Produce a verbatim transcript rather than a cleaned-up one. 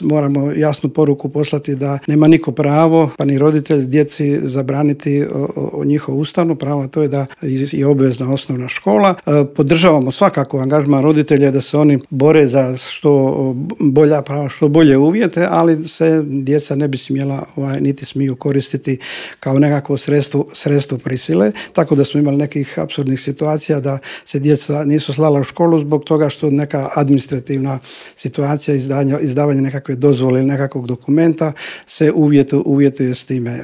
moramo jasnu poruku poslati da nema niko pravo, pa ni roditelj djeci zabraniti o, o njihovu ustavnu pravo, to je da je obvezna osnovna škola. Podržavamo svakako angažman roditelja da se oni bore za što bolja prava, što bolje uvjete, ali se djeca ne bi smjela ovaj, niti smiju koristiti kao nekakvo sredstvo, sredstvo prisile, tako da smo imali nekih apsurdnih situacija da se djeca nisu slala u školu zbog toga što neka administrativna situacija izdavanja, izdavanja nekakve dozvole ili nekakvog dokumenta se uvjetuje, uvjetuje s time.